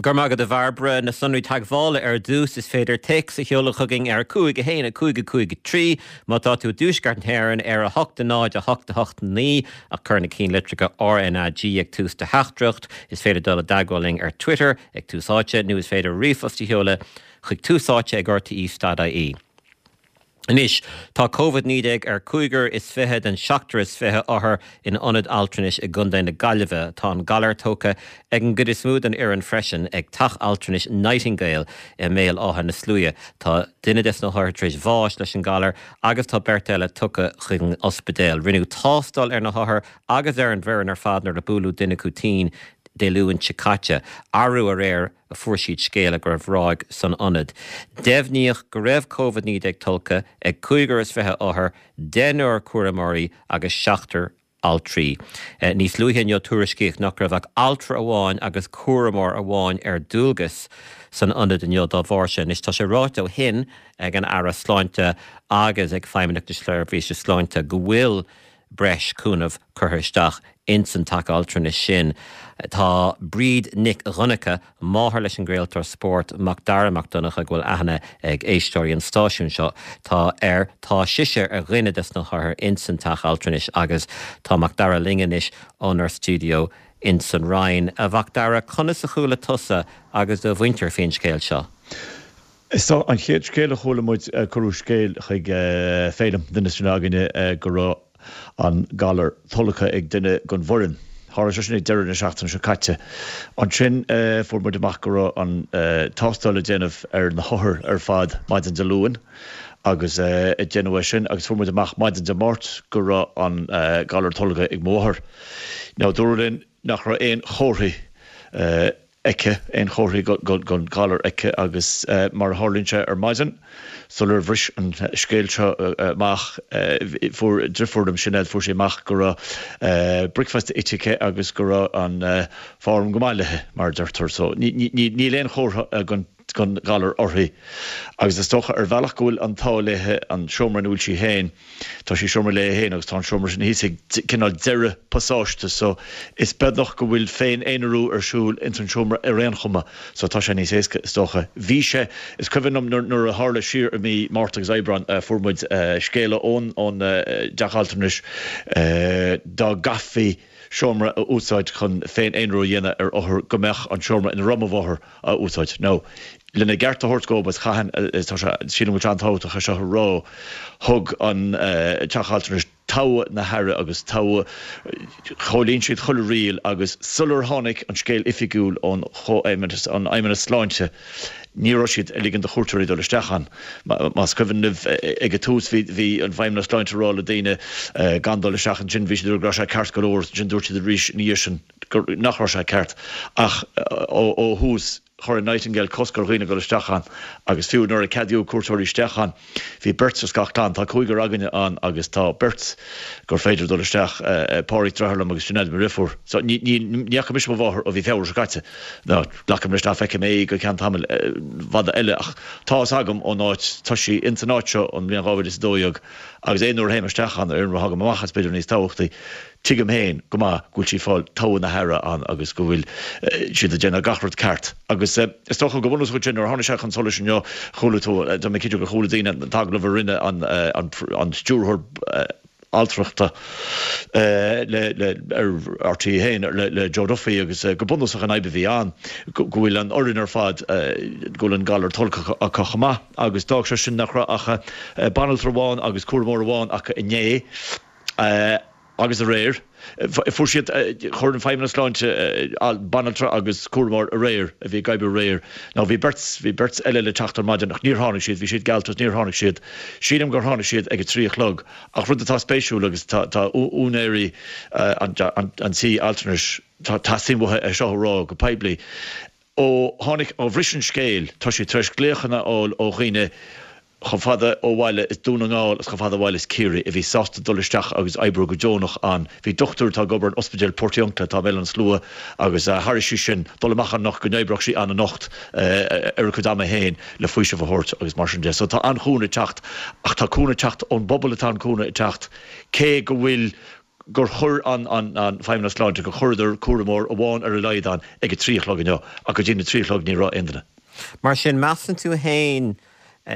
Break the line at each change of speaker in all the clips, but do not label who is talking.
Go raibh maith agat a Bhairbre. Na sonraí teagmhála ar dtús, is féidir téacs a sheoladh chugainn ar 5 1 5 5 3 má tá tú i dTuaisceart na hÉireann, ar 8 0 8 8 9 ach cuir na cinnlitreacha RnaG ag tús do theachtaireacht. Is féidir dul i dteagmháil linn ar Twitter ag Tús Áite nó is féidir ríomhphost a sheoladh chuig túsáite ag rte.ie. Anois, tá Covid-19 ar cúigear is 20 den seachtar is 20 othar in ionad altranais i gContae na Gaillimhe. Tá an galar tógtha ag an gcuid is mó den fhoireann freisin ag Teach Altranais Nightingale i mBéal Átha na Sluaighe. Tá duine des na hothair tar éis bháis leis an galar agus tá beirt eile tugtha chuig an ospidéal. Rinneadh tástáil ar na hothair agus ar an bhfoireann ar fad nuair a buaileadh duine acu tinn Dé Luain seo caite. Arú aréir a fuair siad scéala go raibh ráig san ionad. Deimhníodh go raibh Covid-19 tolgtha ag cúigear is 20 othar, deichniúr cúramóirí agus seachtar altraí. Níos luaithe inniu tuairiscíodh nach raibh ach altra amháin agus cúramóir amháin ar dualgas san ionad inniu dá bharr sin. Anois tá sé ráite ó shin ag an Aire Sláinte agus ag Feidhmeannacht na Seirbhíse Sláinte go bhfuil breis cúnaimh curtha isteach ins an teach altranais sin. Tá Bríd Nic Dhonncha, máthair leis an gcraoltóir spóirt Macdara Mac Donncha, go bhfuil aithne ag éisteoirí an stáisiúin seo, tá air, tá sise ar dhuine des na hothair ins an teach altranais agus tá Macdara linn anois ónár stiúideo ins an Rinn. A Mhacdara, conas a chuala tusa agus do mhuintir faoin scéal seo?
Is dócha, an chéad scéal a chuala muid, cuireadh scéal chuig Féilim, duine sin againne, go raibh an galar tolgtha ag duine den bhfoireann. Tharla sé sin ag deireadh na seachtaine seo caite. Ansin fuair muid amach go raibh an tástáil le déanamh ar na hothair ar fad maidin Dé Luain agus déanadh é sin agus fuair muid amach maidin Dé Máirt go raibh an galar tolgtha ag mo mháthair. Now dúradh linn nach raibh aon chomharthaí aici, aon chomharthaí den ghalar aici agus mar a tharlaíonn sé ar maidin, sular bhris an scéal seo amach, fuair driofúr liom, Sinéad, fuair sí amach go raibh bricfeasta ite aici agus go raibh an form go maith léi, mar a deirtear. So níl aon chomhartha den ghalar uirthi agus is dócha ar bhealach go bhfuil an t-ádh léi an seomra ina bhfuil sí féin, Tá sí i seomra léi féin agus tá an seomra sin thíos ag cineál deireadh pasáiste so is beagnach go bhfuil féin-aonarú ar siúl ins an seomra ar aon chuma so tá sé níos éasca is dócha. Bhí sé, is cuimhin liom nuair nuair a tharla siar i mí Márta agus Aibreán fuair muid scéala ón ón dteach altranais dá gcaithfí seomra a úsáid chun féin-aonrú a dhéanamh ar othar go mbeadh an seomra ina raibh mo mháthair á úsáid. Now, lena gceart a thabhairt dhóibh, is chaithfinn, tá sé, sílim go bhfuil sé an-tábhachtach é seo a rá, thug an Teach Altranais togha na haire agus togha, chomhlíon siad chuile riail agus sular tháinig an scéal oifigiúil ón Chomhfheidhmeannas, an Fheidhmeannas Sláinte, ní raibh siad ag ligean do chuairteoirí dul isteach ann. Más cuimhin libh, ag an tús bhí, bhí an Feidhmeannas Sláinte ag rá le daoine gan dul isteach, ansin bhí siad ag rá go raibh sé ceart go leor, ansin dúirt siad arís ina dhiaidh sin gur, nach raibh sé ceart. Ach ó thús chuir an Nightingale cosc ar dhaoine dul isteach ann agus fiú nuair a ceadaíodh cuairteoirí isteach ann, bhí beirt as gach clann. Tá cúigear againne ann agus tá beirt gur féidir dul isteach, Pádraig deartháir liom agus Sinéad mo dheirfiúr. So ní, ní, ní fhaca mise mo mháthair ó mhí Feabhra seo caite. Now, glacaim leis nach bhfeicfidh mé í go ceann tamaill fada eile ach tá fhios agam ón áit, tá sí ins an áit seo ón mbliain 2012 agus aon uair a théim isteach ann, aon uair a thagaim amach as b'fhéidir níos tábhachtaí, tuigim féin go maith go bhfuil sí ag fáil togha na haire ann agus go bhfuil siad ag déanamh gach rud ceart. Agus is dócha go bunúsach ansin nuair a tháinig sé chun solais inniu, chuala tú, tá mé cinnte gur chuala daoine an t-agallamh a rinne an stiúrthóir altrachta le le ar RTÉ 1 le le Joe Duffy agus go bunúsach an fhadhb a bhí ann go bhfuil an fhoireann ar fad go bhfuil an galar tolgtha acu chomh maith agus d'fhág sé sin nach raibh ach banaltra amháin agus cúramóir amháin acu inné agus aréir. Fuair siad, chuir an Feidhmeannas Sláinte banaltra agus cúramóir aréir a bhí ag oibriú aréir. Now bhí beirt, bhí beirt eile le teacht ar maidin ach níor tháinig siad, bhí siad geallta agus níor tháinig siad. Sílim gur tháinig siad ag a trí a chlog. Ach rud atá spéisiúil agus tá, tá úinéirí an, an tí altranais, tá, teastaíonn uathu é seo a rá go poiblí. Ó tháinig, ó bhris an scéal, tá siad tar éis glaochanna a fháil ó dhaoine chomh fada ó bhaile is Dún na nGall is chomh fada ó bhaile is Ciarraí a bhí sásta dul isteach agus oibriú go deonach ann. Bhí dochtúir atá ag obair in Ospidéal Portiuncula atá i mBéal Átha na Slua agus thairg sí sin dul amach anocht go n-oibreodh sí ann anocht ar a cuid ama féin le faoiseamh a thabhairt agus mar sin de. So tá an-chúnamh ag teacht ach tá cúnamh ag teacht ón bpobal atá an cúnamh ag teacht cé go bhfuil. gur chuir an Feidhmeannas Sláinte, gur chuireadar cúramóir amháin ar a laghad ann ag a 3 a chlog inniu, ach go dtí na 3 a chlog ní raibh aon duine.
Mar sin, measann tú fhéin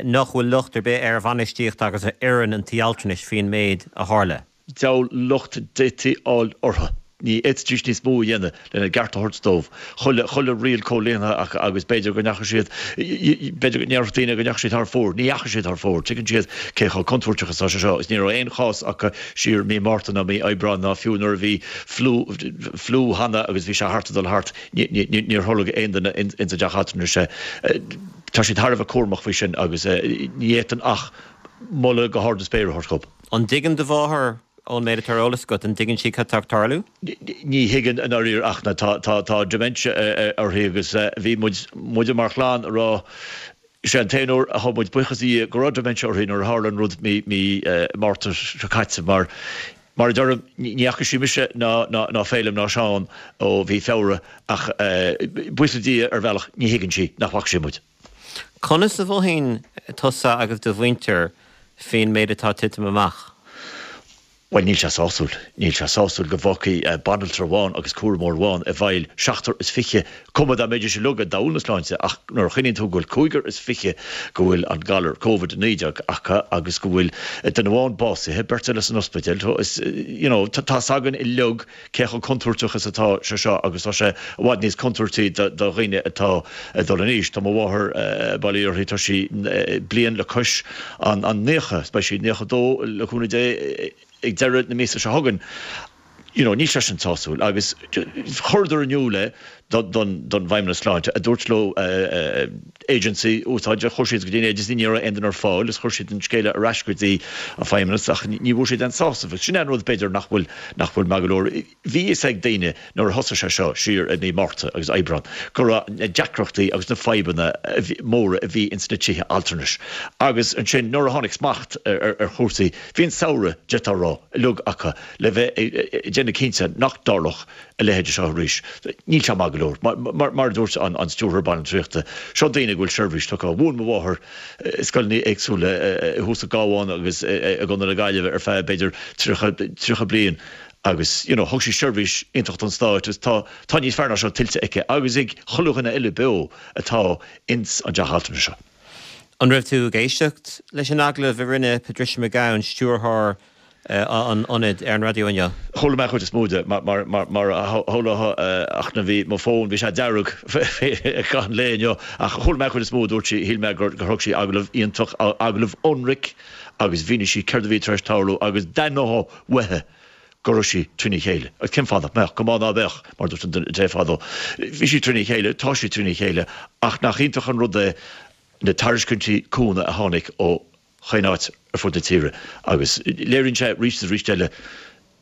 nach bhfuil locht ar bith ar bhainistíocht agus ar fhoireann an tí altranais faoin méid a tharla?
Diabhal locht d'fhéadfaí fháil orthu. Ní fhéadfaidís níos mó a dhéanamh lena gceart a thabhairt dóibh. Chuile, chuile riail comhlíontha acu agus b'fhéidir go ndeachaigh siad, b'fhéidir go ndéarfadh daoine go ndeachaigh siad thar fóir. Ní dheachaigh siad thar fóir. Tuigeann siad cé chomh contúirteach is atá sé seo agus ní raibh aon chás acu siar mí Márta ná mí Aibreáin ná fiú nuair a bhí fliú, fliú cheana agus bhí sé thart ag dul thart. Ní, ní, níor tholg aon duine ins an dteach altranais é. Tá siad thar a bheith cúramach faoi sin agus ní fhéadfainn ach moladh go hard na spéire a thabhairt dhób.
An dtuigeann do mháthair, ón méid atá ar eolas agat, an dtuigeann sí cad tá ag tarlú?
Ní thuigeann i ndáiríre ach na, tá, tá, tá dementia uirthi agus bhí muid, muide mar chlann a rá, is é an t-aon uair a thug muid buíochas do Dhia go raibh dementia uirthi nuair a tharla an rud mí, mí Márta seo caite mar, mar a deirim, ní fhaca sí mise ná, ná, ná Féilim ná Seán ó mhí Feabhra ach buíochas le Dia ar bhealach ní thuigeann sí nach bhfaca sí muid.
Conas a mhothaíonn tusa agus do mhuintir faoin méid atá ag titim amach?
Bhuel, níl sé sásúil. Níl sé sásúil go bhfágfaí banaltra amháin agus cúramóir amháin i bhfeighil seachtar is fiche, cuma dá mbeidís uilig i dtadhall na sláinte, ach nuair a chuimhníonn tú go bhfuil cúigear is fiche go bhfuil an galar Covid-19 acu agus go bhfuil duine amháin básaithe, beirt eile san ospidéal, is, you know, tá 's againn uilig cé chomh contúirteach is atá sé seo agus tá sé i bhfad níos contúirtí do dhaoine atá ag dul in aois. Tá mo mháthair, bail ó Dhia uirthi, tá sí bliain le cois an 90, beidh sí 92 le cúnamh Dé ag deireadh na míosa seo chugainn. You know, níl sé sin sásúil agus chuireadar in iúl é don bhFeidhmeannas Sláinte a dúirt leo agency úsáid a chuir siad go dtí an agency ní raibh aon duine ar fáil is chuir siad an scéala ar ais go dtí an Feidhmeannas ach ní bhfuair siad aon sásamh. Sin é an rud b'fhéidir nach bhfuil nach bhfuil maith go leor. Bhí fhios ag daoine nuair a thosaigh sé seo siar i mí Márta agus Aibreán go raibh na deacrachtaí agus na fadhbanna móra a bhí ins na tithe altranais agus ansin nuair a tháinig smacht ar chúrsaí bhí an samhradh d'fhéadfá a rá uilig acu le bheith ag déanamh cinnte nach dtarlódh a leithéid seo arís. Níl sé maith go leor. Mar a dúirt an Stiúrthóir Banaltraíochta, seo daoine go bhfuil seirbhís tugtha. Mhúin mo mháthair i scoileanna éagsúla thuas sa gCabhán agus i gContae na Gaillimhe ar feadh b'fhéidir 30, 30 bliain agus you know thug sí seirbhís iontach don Stát agus tá, tá níos fearr ná seo tuillte aici agus ag chuile dhuine eile beo atá ins an dteach altranais seo.
An raibh tú ag éisteacht leis an agallamh a rinne Patricia McGowan, Stiúrthóir an ionaid ar an raidió inniu.
Chuala mé an chuid is mó de, mar a shamhlófá, ach na bhí mo fón, bhí sé dearg i gcaitheamh an lae inniu, ach chuala mé an chuid is mó, dúirt sí, shíl mé gur thug sí agallamh iontach, agallamh ionraic agus mhínigh sí céard a bhí tar éis tarlú agus d'aithneofá uaithi go raibh sí trína chéile. Agus cén fáth nach mbeadh? Go maith ná beadh, mar a dúirt an té fadó. Bhí sí trína chéile, tá sí trína chéile, ach nach iontach an rud é na tairiscintí cúnamh a tháinig ó chaon áit ar fud na tíre agus léiríonn sé arís is arís eile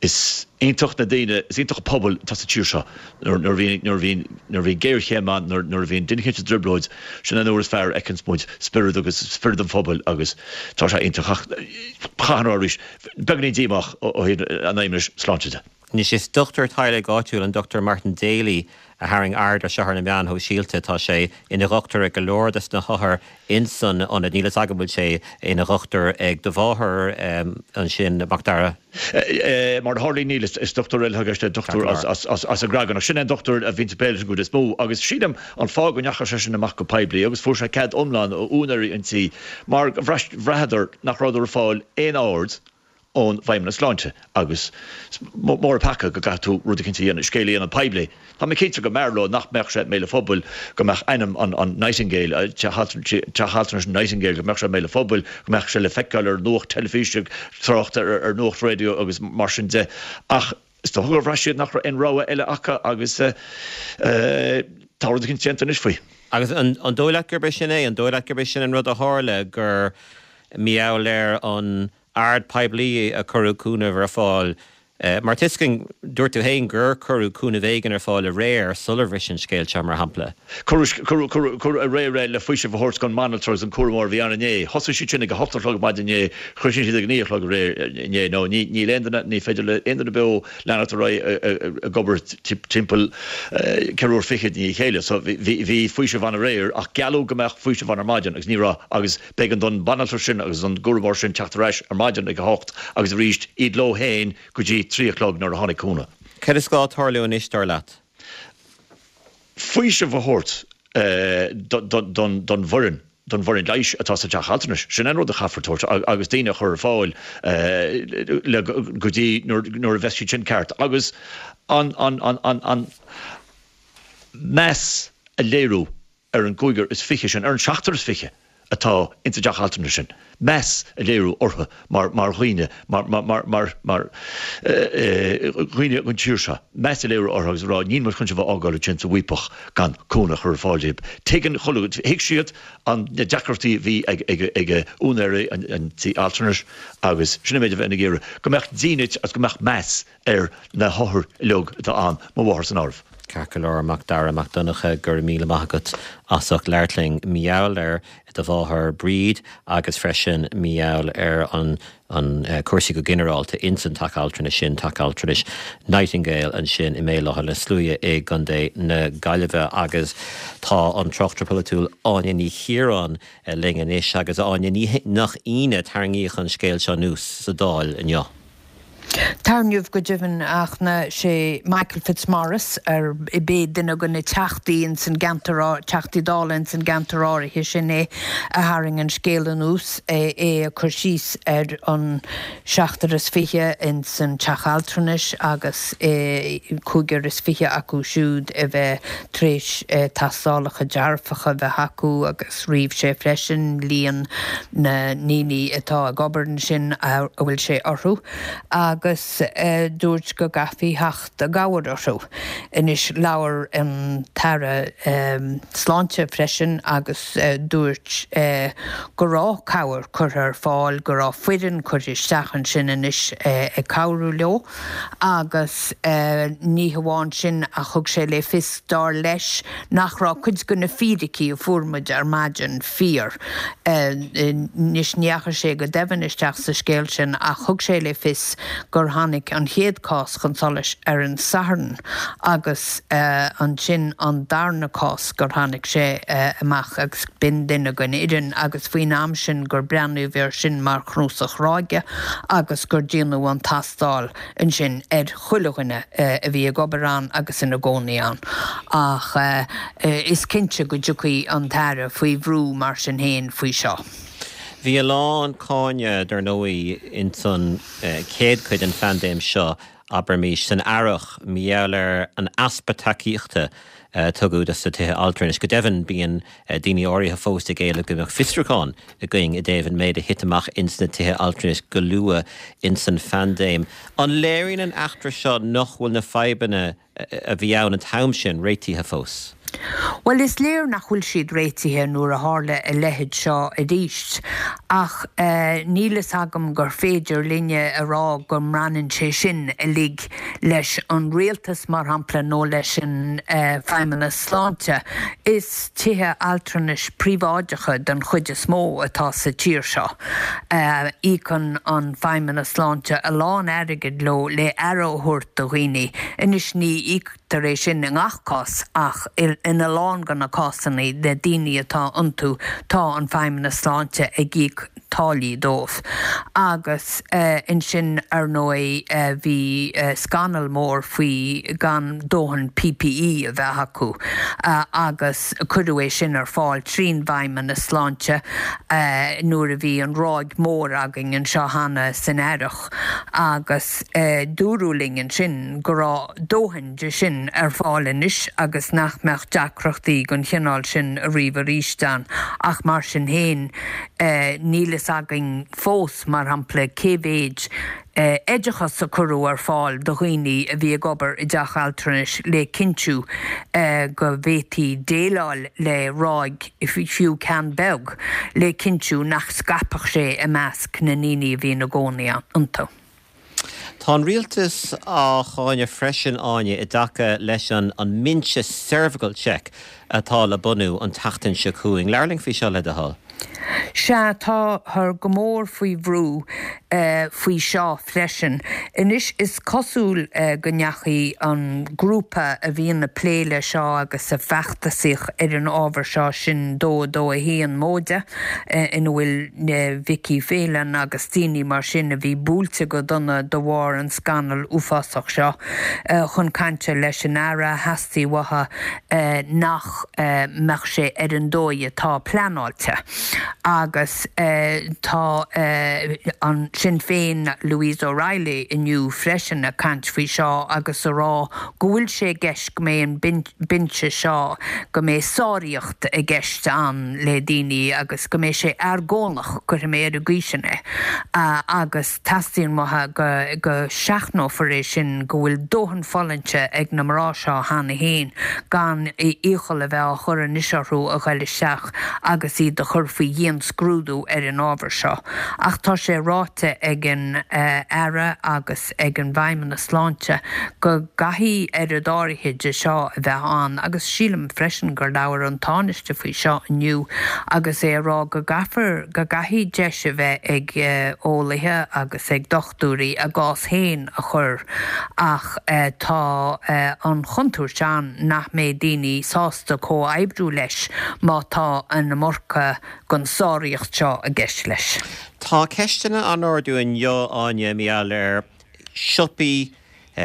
is iontach na daoine, is iontach an pobal atá sa tír seo nuair a bhíonn, nuair a bhíonn, nuair a bhíonn géarchéim ann, nuair, nuair a bhíonn duine éicint i dtrioblóid, sin an uair is fearr a fheiceanns muid spiorad agus spiorad an phobail agus tá sé iontach ach caithfidh mé a rá arís, beagáinín díomách ó thaobh an Fheidhmeannais Sláinte de.
Anois is dochtúir teaghlaigh áitiúil, an Dr Martin Daly, a tharraing aird ar seo ar na meáin shóisialta. Tá sé ina dhochtúir ag go leor des na hothair ins an ionad. Níl fhios agam an bhfuil sé ina dhochtúir ag do mháthair ansin, Mac Dara.
Mar a tharlaíonn níl. Is dochtúir eile atá i gceist, dochtúir as an gCreagán. Ach sin é an dochtúir a bhíonns ag plé leis an gcuid is mó. Agus sílim an fáth go ndeachaigh seisean amach go poiblí agus fuair sé cead iomlán ó úinéirí an tí mar go bhraitheadar nach rabhadar ag fáil aon aird ón bhFeidhmeannas Sláinte agus is mór an peaca go gcaithfidh tú rud eicínt a dhéanamh, scéal a dhéanamh poiblí. Tá mé cinnte go mb'fhearr leo nach mbeadh sé i mbéal an phobail, go mbeadh ainm an an Nightingale, teach altranais Nightingale, go mbeadh sé i mbéal an phobail, go mbeadh sé le feiceáil ar nuacht teilifíse, trácht ar ar nuacht raidió agus mar sin de. Ach is dócha gur bhraith siad nach raibh aon rogha eile acu agus tá rud eicínt déanta anois faoi.
Agus an dóigh leat gurb é sin é? An dóigh leat gurb é sin an rud a tharla, gur mar gheall ar an aird poiblí a cuireadh cúnamh ar fáil. Mar tuiscint, dúirt tú féin gur cuireadh cúnamh éigin ar fáil aréir sular bhris an scéal seo, mar shampla.
Cuireadh, cuireadh aréir é le faoiseamh a thabhairt don mbanaltra agus an cúramóir a bhí ann inné. Thosaigh siad sin ag a hocht a chlog maidin inné, chríochnaigh siad ag a naoi a chlog aréir inné. Nó ní, níl aon duine, ní féidir le aon duine beo leanacht ar aghaidh ag obair timpeall ceathrú uair fichead i ndiaidh a chéile. So bhí, bhí faoiseamh ann aréir ach gealladh go mbeadh faoiseamh ann ar maidin agus ní raibh agus B'éigean don bhanaltra sin agus don gcúramóir sin teacht ar ais ar maidin ag a hocht agus arís iad leo féin go dtí. 3 a chlog nuair a tháinig cúnamh.
Céard is gá tarlú anois, dar leat?
Faoiseamh a thabhairt don bhfoireann, don bhfoireann leighis atá sa teach altranais. Sin an rud a chaithfear tabhairt agus daoine a chur ar fáil le go dtí nuair a bheas siad sin ceart agus an meas a léiriú ar an gcúigear is fiche sin, ar an seachtar is fiche atá insa dteach altranais sin, meas a léiriú orthu mar mar dhaoine, mar mar mar mar mar dhaoine den tír seo, meas a léiriú orthu agus a rá níl muid chun sibh a fhágáil ansin sa bhfaopach gan cúnamh a chur ar fáil daoibh. Tuigeann chuile, thuig siad an na deacrachtaí a bhí ag ag ag úinéirí an an tí altranais agus sin an méid a bheinn ag iarraidh, go mbeadh dínit agus go mbeadh meas ar na hothair uilig atá ann, mo mháthair san áireamh.
Ceart go leor, Mac Dara Mac Donncha, go raibh míle maith agat as ucht labhairt linn mar gheall ar do mháthair Bríd agus freisin mar gheall ar an an cúrsaí go ginearálta ins an teach altranais sin, Teach Altranais Nightingale ansin i mBéal Átha na Sluaighe i gContae na Gaillimhe agus tá an tráchtaire polaitiúil Áine Ní Chiaráin linn anois agus a Áine, ní nach ionadh tarraingíodh an scéal seo anuas sa Dáil inniu.
Tarraingíodh go deimhin ach sé Michael Fitzmaurice ar b'é duine de na teachtaí ins an gceantar, Teachtaí Dála ins an gceantar áirithe sin é a tharraing an scéal anuas, é ag cur síos ar an seachtar is fiche ins an teach altranais agus cúigear is fiche acu siúd a bheith tar éis tástálacha dearfacha a bheith acu agus ríomh sé freisin líon na ndaoine atá ag obair ansin a bhfuil sé orthu agus dúirt go gcaithfí theacht i gcabhair orthu. Anois labhair an tAire Sláinte freisin agus dúirt go raibh cabhair curtha ar fáil, go raibh foireann curtha isteach ansin anois ag cabhrú leo. Agus ní hamháin sin ach thug sé le fios, dar leis, nach raibh cuid de na fíricí a fuair muid ar maidin fíor. Anois ní dheachaigh sé go doimhin isteach sa scéal sin ach thug sé le fios gur tháinig an chéad cás chun solais ar an Satharn agus ansin an darna cás gur tháinig sé amach agus b'in duine den fhoireann agus faoin am sin gur breathnaíodh air sin mar chnuasach ráige agus gur déanadh an tástáil ansin ar chuile dhuine a bhí ag obair ann agus ina gcónaí ann. Ach is cinnte go dtiocfaidh an tAire faoi bhrú mar sin féin faoi seo.
Bhí a lán cáineadh, dar ndóigh, ins an chéad chuid den phaindéim seo abraimis, san earrach, mar gheall ar an easpa tacaíochta a tugadh dos na tithe altranais. Go deimhin, bíonn daoine áirithe fós ag éileamh go mbeadh fiosrúchán againn i dtaobh an méid a thit amach ins na tithe altranais go luath ins an phaindéim. An léiríonn an eachtra seo nach bhfuil na fadhbanna a bhí ann an t-am sin réitithe fós?
Bhuel, is léir nach bhfuil siad réitithe nuair a tharla a leithéid seo arís, ach níl fhios agam gur féidir linne a rá go mbaineann sé sin uilig leis an rialtas, mar shampla, nó leis an Feidhmeannas Sláinte. Is tithe altranais príobháideacha den chuid is mó atá sa tír seo. Íocann an Feidhmeannas Sláinte a lán airgid leo le aire a thabhairt do dhaoine. Anois ní íoctar é sin i ngach cás ach ina lán de na cásanna, na daoine atá iontu, tá an Feidhmeannas Sláinte ag íoc táillí dóibh. Agus ansin, ar ndóigh, bhí scannal mór faoi gan dóthain PPE a bheith acu agus cuireadh é sin ar fáil trín bhFeidhmeannas Sláinte nuair a bhí an ráig mhór againn anseo cheana san earrach agus dúradh linn ansin go raibh dóthain de sin ar fáil anois agus nach mbeadh deacrachtaí den chineál sin ariamh arís ann ach mar sin féin níl fhios againn fós, mar shampla, cé mhéid oideachas a cuireadh ar fáil do dhaoine a bhí ag obair i dteach altranais le cinntiú go bhféadfaí déileáil le ráig, fiú ceann beag, le cinntiú nach scaipfeadh sé i measc na ndaoine a bhí ina gcónaí iontu.
Tá an rialtas á cháineadh freisin, Áine, i dtaca leis an mbinse cervical check atá le bunú an tseachtain seo chugainn. Labhair linn faoi seo, le do thoil.
Sea, táthar go mór faoi bhrú faoi seo freisin. Anois, is cosúil go ndeachaigh an grúpa a bhíonn ag plé le seo agus a feachtasaíodh ar an ábhar seo, sin 2 2 1 móide, ina bhfuil Vicky Phelan agus daoine mar sin a bhí buailte go dona de bharr an scannail uafásach seo, chun cainte leis an Aire, theastaigh uathu nach mbeadh sé ar an dóigh atá pleanáilte. Agus tá an Sinn Féin, Louise O'Reilly inniu freisin ag caint faoi seo agus a rá go bhfuil sé i gceist go mbeidh an binse seo, go mbeidh sáraíocht i gceist ann le daoine agus go mbeidh sé argónach, cuirfidh mé ar an gcaoi sin é, agus. Teastaíonn uathu go seachnófar é sin, go bhfuil dóthain fulaingte ag na mná seo cheana féin gan iachall a bheith á chur anois orthu a ghoil isteach agus iad a chur faoi dhianscrúdú ar an ábhar seo. Ach tá sé ráite ag an Aire agus ag an bhFeidhmeannas Sláinte go gcaithfidh oiread áirithe de seo a bheith ann agus sílim freisin gur labhair an Tánaiste faoi seo inniu agus é a rá go gcaithfear, go gcaithfidh deis a bheith ag eolaithe agus ag dochtúirí a gcás féin a chur ach tá an chontúirt ann nach mbeidh daoine sásta comhoibriú leis má tá an iomarca den sáraíocht seo i gceist leis.
Tá ceisteanna á n-ardú inniu, Áine, mar gheall ar siopaí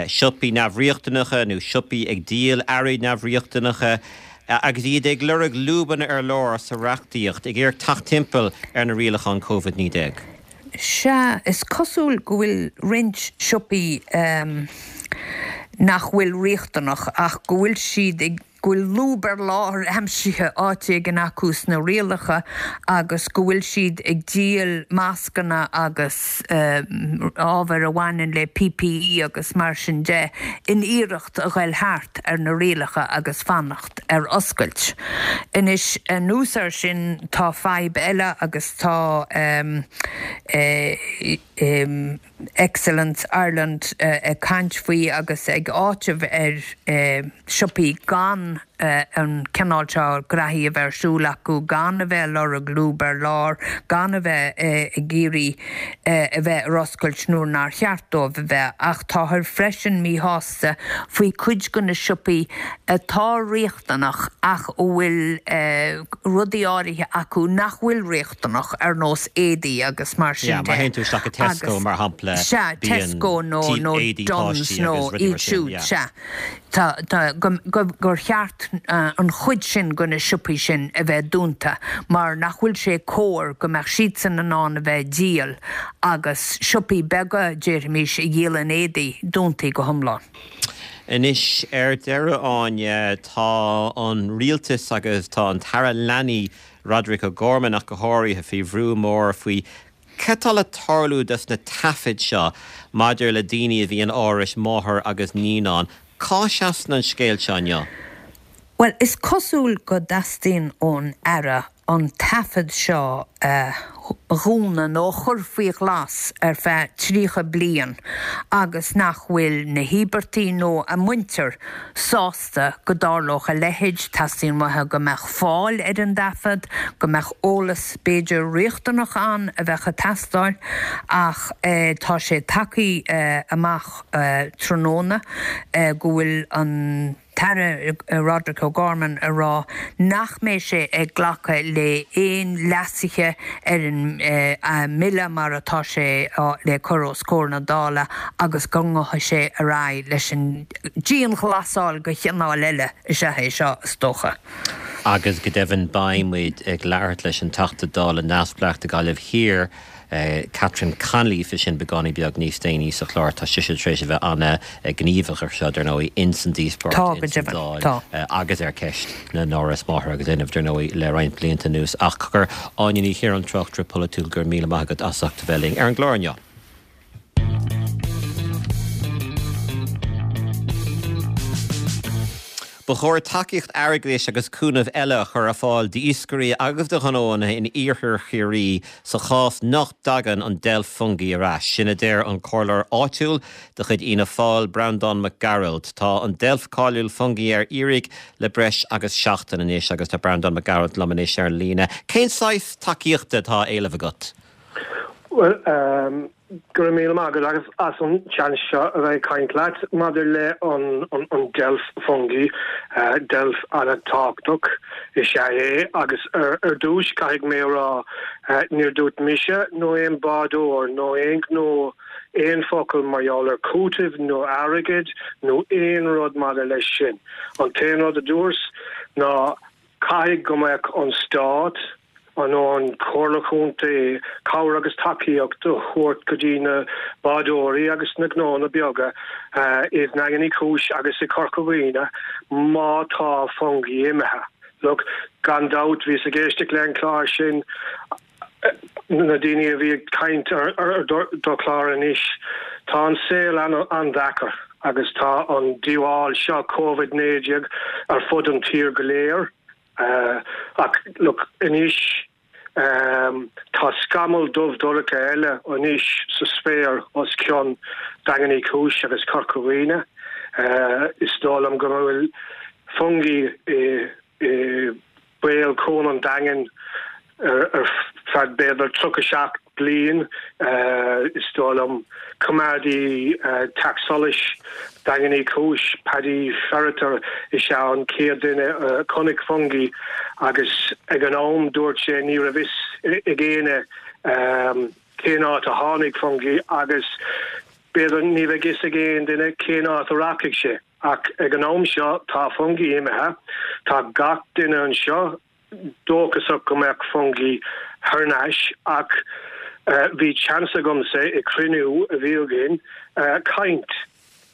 siopaí neamhriachtanacha nó siopaí ag díol earraí neamhriachtanacha agus iad ag lorg lúbanna ar lár sa reachtaíocht, ag iarraidh teacht timpeall ar na rialacháin Covid-19.
Sea, is cosúil go bhfuil roinnt siopaí nach bhfuil riachtanach ach go bhfuil siad ag. go bhfuil lúb ar lár aimsithe áit éigin acu sna rialacha agus go bhfuil siad ag díol mascanna agus ábhair a bhaineann le PPE agus mar sin de in iarracht a ghoil thart ar na rialacha agus fanacht ar oscailt. Anois, anuas air sin, tá fadhb eile agus tá Excellence Ireland ag caint faoi agus ag áiteamh ar siopaí gan an cineál seo graithí a bheith ar siúl acu, gan a bheith ag lorg lúb ar lár, gan a bheith ag iarraidh a bheith ar oscailt nuair nár cheart dóibh a bheith. Ach táthar freisin míshásta faoi cuid de na siopaí atá riachtanach ach a bhfuil rudaí áirithe acu nach bhfuil riachtanach, ar nós éadaí agus mar sin
de. Yeah, má théann tú isteach go Tesco, mar shampla,
Sea, Tesco nó nó Dunnes nó iad siúd, sea. Tá, tá, go, go, gur cheart an chuid sin de na siopaí sin a bheith dúnta mar nach bhfuil sé cóir go mbeadh siadsan in ann a bheith ag díol agus siopaí beaga, déarfaimis, a dhíolann éadaí, dúntaí go hiomlán.
Anois, ar deireadh, Áine, tá an rialtas agus tá an tAire Leanaí, Roderic O'Gorman ach go háirithe, faoi bhrú mór faoi cad tá le tarlú dos na taifid seo maidir le daoine a bhí in árais máthar agus naíonán. Cá seasann an scéal seo inniu?
Bhuel, is cosúil go dteastaíonn ón Aire an taifead seo a dhúnadh nó a chur faoi ghlas ar feadh 30 bliain agus nach bhfuil na híobartaigh nó a muintir sásta go dtarlódh a leithéid. Teastaíonn uathu go mbeadh fáil ar an dtaifead, go mbeadh eolas b'fhéidir riachtanach ann a bheadh ag teastáil ach tá sé tagtha amach tráthnóna go bhfuil an tAire Roderic O'Gorman ag rá nach mbeidh sé ag glacadh le aon leasuithe ar an mbille mar atá sé le cur os comhair na Dála agus go ngabhfaidh sé ar aghaidh leis an dianghlasáil de chineál eile is ea é seo, is dócha.
Agus go deimhin beidh muid ag labhairt leis an Teachta Dála neamhspleách do Ghaillimh Thiar, Catherine Connolly faoi sin beagáinín beag níos déanaí sa chlár. Tá sise tar éis a bheith an-ghníomhach ar seo, dar ndóigh, ins an díospóireacht ins an Dáil agus ar cheist na n-áras máthar agus linbh, dar ndóigh, le roinnt blianta anuas. Ach cogar, Áine Ní Chiaráin, tráchtaire polaitiúil, go raibh míle maith agat as ucht a bheith linn ar an gclár inniu. Ba chóir tacaíocht airgeadais agus cúnamh eile a chur ar fáil d'iascairí agus do ghnóanna in iarthar Chiarraí sa chás nach dtagann an deilf Fungie ar ais. Sin a deir an comhairleoir áitiúil de chuid Fhianna Fáil, Breandán Mac Gearailt. Tá an deilf cáiliúil Fungie ar iarraidh le breis agus seachtain anois agus tá Breandán Mac Gearailt liom anois ar an líne. Cén saghas tacaíochta atá á éileamh agat?
Bhuel, Go raibh míle maith agat as an seans seo a bheith ag caint leat maidir le an deilf Fungie. Deilf an-tábhachtach is ea é agus ar dtús caithfidh mé a rá níor dúirt mise nó aon bádóir nó aon ghnó aon focal mar gheall ar cúiteamh nó airgead nó aon rud maidir leis sin. An t-aon rud a dúirt ná Caithfidh go mbeadh an Stát, nó an Chomhairle Chontae, cabhair agus tacaíocht a thabhairt go dtí na bádóirí agus na gnónna beaga i nDaingean Uí Chúis agus i Corca Dhuibhne má tá Fungie imithe. Look, gan dabht, bhíos ag éisteacht le an clár sin, na daoine a bhí ag caint ar do chlár anois, tá an saol an-deacair agus tá an díobháil seo, Covid 19, ar fud an tír go léir. Ach look, anois tá scamall dubh dorcha eile anois sa spéir os cionn Daingean Uí Chúis agus Corca Dhuibhne. Is dóigh liom go bhfuil Fungie i béal Cuan an Daingin ar feadh b'fhéidir 37 bliain, is dóigh liom. Coimeádaí Teach Solais Daingean Uí Chúis, Paddy Ferriter, is ea an chéad duine a chonaic Fungie agus ag an am dúirt sé ní raibh fhios ag éinne cén áit a tháinig Fungie agus b'fhéidir ní bheidh fhios ag aon duine cén áit a rachaidh sé. Ach ag an am seo tá Fungie imithe, tá gach duine anseo dóchasach go mbeadh Fungie thar n-ais ach bhí seans agamsa i cruinniú a bhí againn caint,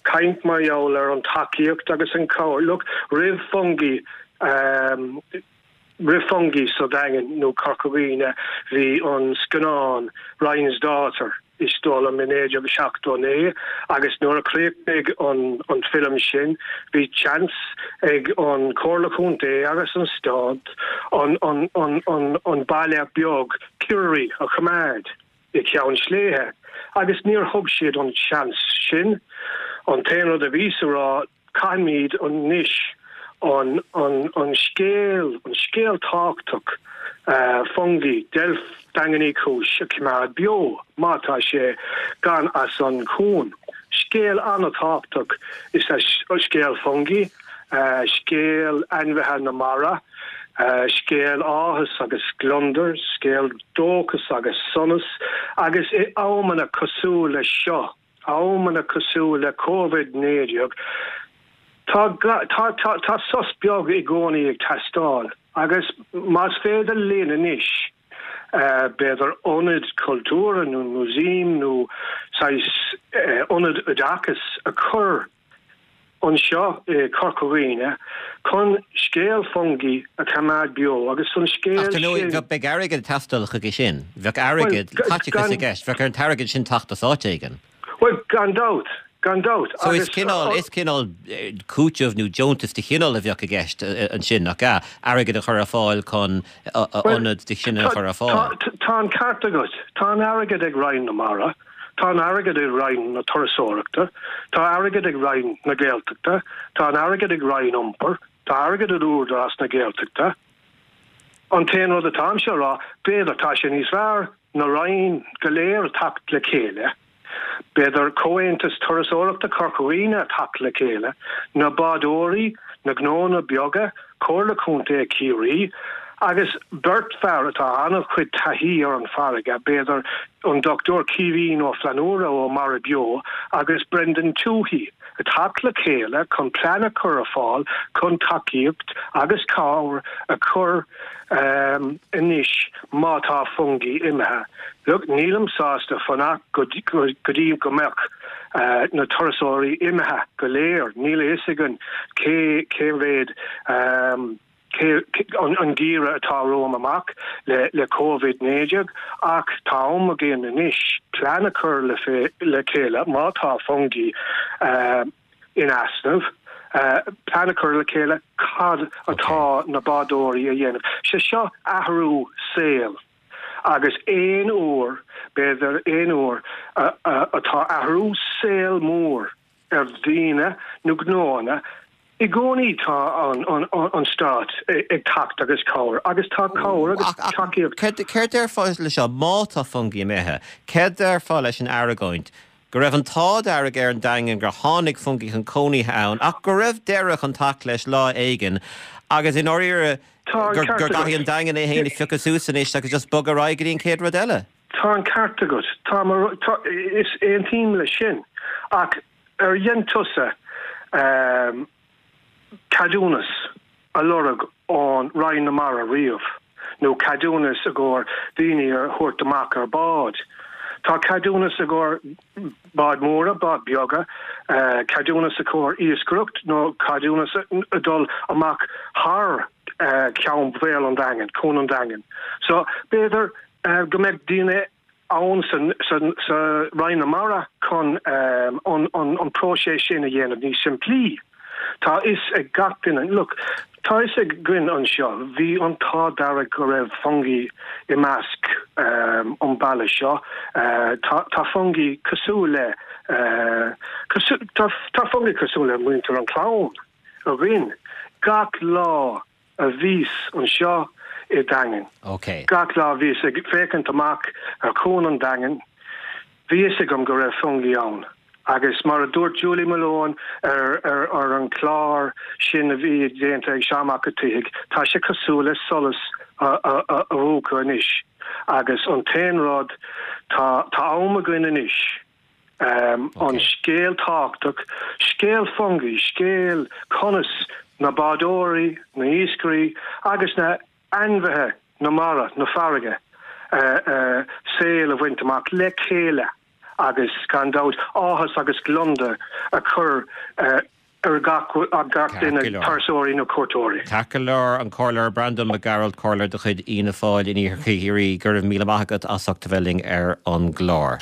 caint mar gheall ar an tacaíocht agus an cabhair. Look, roimh Fungie, roimh Fungie sa Daingean nó Corca Dhuibhne bhí an scannán Ryan's Daughter. is dóigh liom, i 1979 agus nuair a chríochnaigh an film sin bhí seans ag an Chomhairle Chontae agus an Stát an baile beag Kirrary a choimeád i gCeann Sléibhe agus níor thug siad an seans sin. An t-aon rud a bhíos a rá Caithfimid anois an scéal, an scéal tábhachtach, Fungie, Deilf Daingean Uí Chúis a choimeád beo, má tá sé gann as an chuan. Scéal an-tábhachtach is ea scéal Fungie, scéal ainmhithe na mara, scéal áthas agus gliondar, scéal dóchas agus sonas, agus i amanna cosúil leis seo, amanna cosúil le Covid 19, tá tá tá sos beag i gcónaí ag teastáil agus más féidir linn anois b'fhéidir ionad cultúrtha nó músaem nó saghas ionad oideachais a chur anseo i Corca Dhuibhne chun scéal Fungie a choimeád beo agus an scéal
Ach dar ndóigh, sin. beidh airgead ag teastáil chuige sin. Bheadh airgead, caiteachas i gceist. Bheadh ar an t-airgead sin teacht as áit éigin.
Bhuel, gan dabht, gan dabht.
So is cineál, is cineál cúiteamh nó deontas de chineál a bheadh i gceist ansin, nach ea? Airgead a chur ar fáil chun ionad de chineál a chur ar fáil.
Tá an ceart agat. Tá an airgead ag Roinn na Mara. Tá an airgead ag Roinn na Turasóireachta, tá airgead ag Roinn na Gaeltachta, tá an airgead ag Roinn Iompair, tá airgead ag Údarás na Gaeltachta. An t-aon rud atáimse a rá, b'fhéidir tá sé níos fearr na Roinn go léir a theacht le chéile, b'fhéidir Comhaontas Turasóireachta Chorca Dhuibhne a theacht le chéile, na bádóirí, na gnónna beaga, Comhairle Contae Chiarraí, agus beirt fear atá an-chuid taithí ar an farraige, b'fhéidir an Dr Caoimhín Ó Flannúra ó Mara Beo agus Brendan Tuohy, a theacht le chéile chun plean a chur ar fáil chun tacaíocht agus cabhair a chur anois má tá Fungie imithe. Look, nílim sásta fanacht go dtí go mbeadh na turasóirí imithe go léir, níl a fhios againn cé cé mhéad cé an geimhreadh atá romham amach le le Covid 19 ach tá am againn anois plean a chur le le chéile má tá Fungie in easnamh, plean. plean a chur le chéile cad atá na bádóirí a dhéanamh. Sé seo athrú saoil agus aon uair, b'fhéidir aon uair atá athrú saoil mór ar dhaoine nó gnóanna, i gcónaí tá an stát ag teacht agus cabhair agus tá cabhair agus tacaíocht.
Céard déarfá leis seo, má tá Fungie imithe, céard déarfá leis an argóint go raibh an t-ádh dearg ar an Daingean gur tháinig Fungie chun cónaithe ann ach go raibh deireadh chun teacht leis lá éigin agus i ndáiríre
Tá an
gur
ceart agat.
gcaithfidh an Daingean é féin a phiocadh suas anois agus just bogadh ar aghaidh go dtí an chéad rud eile?
Tá an ceart agat. Tá, tá, is aontaím leis sin. Ach ar dhein tusa ceadúnas a lorg ón Roinn na Mara riamh? Nó ceadúnas i gcomhair daoine a thabhairt amach ar bád? Tá ceadúnas i gcomhair báid móra, báid beaga, ceadúnas i gcomhair iascaireacht nó ceadúnas a dul amach thar ceann bhéal an Daingin, Cuan an Daingin. So b'fhéidir go mbeadh daoine ann sa Roinn na Mara chun an próiseas sin a dhéanamh níos simplí. Tá fhios ag gach duine, look, tá fhios againn anseo, bhí an t-ádh dearg go raibh Fungie i measc an baile seo. Tá Fungie cosúil le, tá Fungie cosúil le muintir an clann againn gach lá. a bhíos anseo i Daingean. Gach lá a bhíos ag féachaint amach ar Chuan an Daingin, bhí fhios agam go raibh Fungie ann. Agus mar a dúirt Julie Malone ar ar an chlár sin a bhí déanta ag Seán Mac an tSíthigh, tá sé cosúil le solas a mhúchadh anois. Agus an t-aon rud, tá tá am againn anois. An scéal tábhachtach, scéal Fungie, scéal conas na bádóirí, na iascairí agus na ainmhithe na mara, na farraige, saol a bhaint amach le chéile agus gan dabht áthas agus gliondar a chur ar gach duine, turasóirí nó cuairteoirí.
Ceart go leor, an Comhairleoir Breandán Mac Gearailt, Comhairleoir de chuid Fhianna Fáil in Iarthar Chiarraí, go raibh míle maith agat as ucht a bheith linn ar an gclár.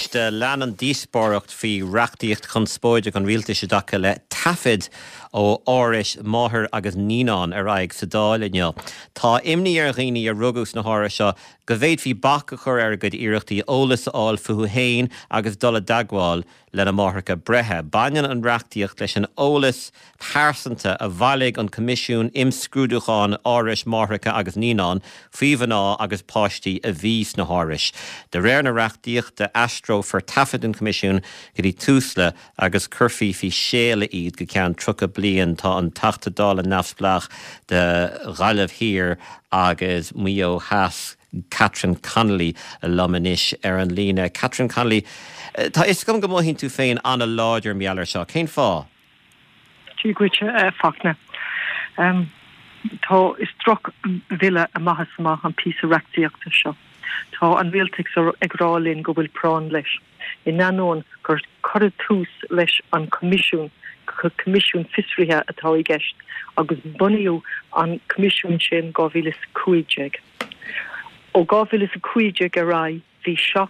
Anois lean an díospóireacht faoi reachtaíocht chonspóideach an rialtais i dtaca le taifid ó árais máthair agus naíonán ar aghaidh sa Dáil inniu. Tá imní ar dhaoine a rugadh sna hárais seo go bhféadfaí bac a chur ar a gcuid iarrachtaí eolas a fháil fúthu féin agus dul i dteagmháil lena máithreacha breithe. Baineann an reachtaíocht leis an eolas pearsanta a bhailigh an Coimisiún Imscrúdúcháin Árais Máithreacha agus Naíonán faoi mhná agus páistí a bhí sna hárais. De réir na reachtaíochta, aistreofar taifid an Choimisiúin go dtí Tusla agus cuirfí faoi séala iad go ceann 30 bliain. Tá an Teachta Dála neamhspleách do Ghaillimh Thiar agus Maigh Eo Theas, Catherine Connolly liom anois ar an líne. Catherine Connolly, tá fhios agam go mothaíonn tú féin an-láidir mar gheall air seo. Cén fáth?
Dia dhuit, a Fachtna. Tá, is droch-bhille amach is amach an píosa reachtaíochta seo. Tá an rialtas ag rá linn go bhfuil práinn leis. in ainneoin gur cuireadh tús leis an Choimisiún, Coimisiún Fiosraithe atá i gceist, agus bunaíodh an Coimisiún sin 2015. Ó 2015 ar aghaidh bhí 7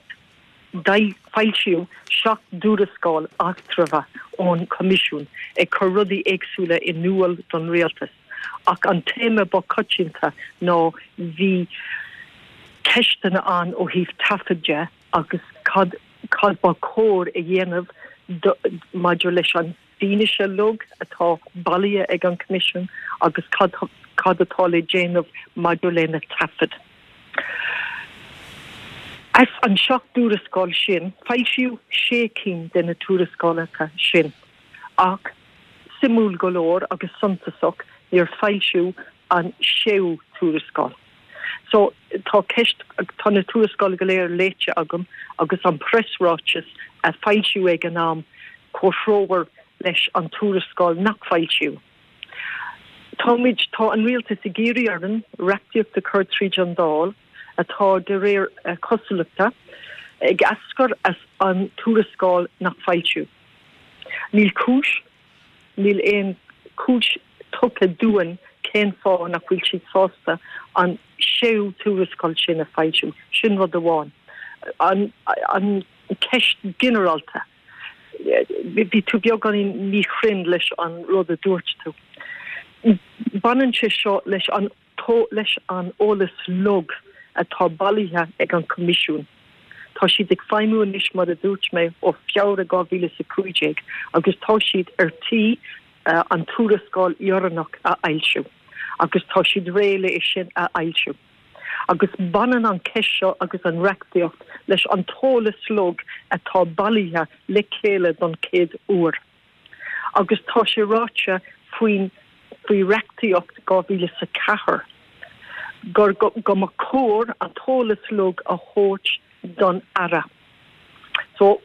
foilsíodh 7 dtuarascáil eatramhacha ón Choimisiún ag cur rudaí éagsúla in iúl don rialtas ach an téama ba choitianta ná bhí ceisteanna ann ó thaobh taifead de agus cad cad ba chóir a dhéanamh maidir leis an bhfianaise uilig atá bailithe ag an Choimisiún agus cad cad atá le déanamh maidir le na taifid. As an 7 dtuarascáil sin, foilsíodh sé cinn de na tuarascálacha sin ach, suimiúil go leor agus suntasach, níor foilsíodh an séú tuarascáil. So, tá ceist, tá na tuarascálacha go léir léite agam agus an preasráiteas a foilsíodh ag an am comhthreomhar leis an tuarascáil nach foilsíodh. Táimid, tá an rialtas ag iarraidh orainn reachtaíocht a chur tríd an Dáil atá de réir cosúlachta ag eascair as an tuarascáil nach foilsíodh. Níl cúis Níl aon chúis tugtha dúinn cén fáth nach bhfuil siad sásta an séú tuarascáil sin a foilsiú. Sin rud amháin. An. ceist ginearálta. Bhí tú beagáinín míchruinn leis an rud a dúirt tú. Baineann sé seo leis an leis an eolas uilig atá bailithe ag an Coimisiún. Tá siad ag feidhmiú anois, mar a dúirt mé, ó Feabhra 2015 agus tá siad ar tí an tuarascáil dheireanach a fhoilsiú agus tá siad réidh le é sin a fhoilsiú. Agus baineann an ceist seo agus an reachtaíocht leis an t-eolas uilig atá bailithe le chéile don chéad uair. Agus tá sé ráite faoin faoi reachtaíocht 2004 gur go mba chóir an t-eolas uilig a thabhairt don Aire. So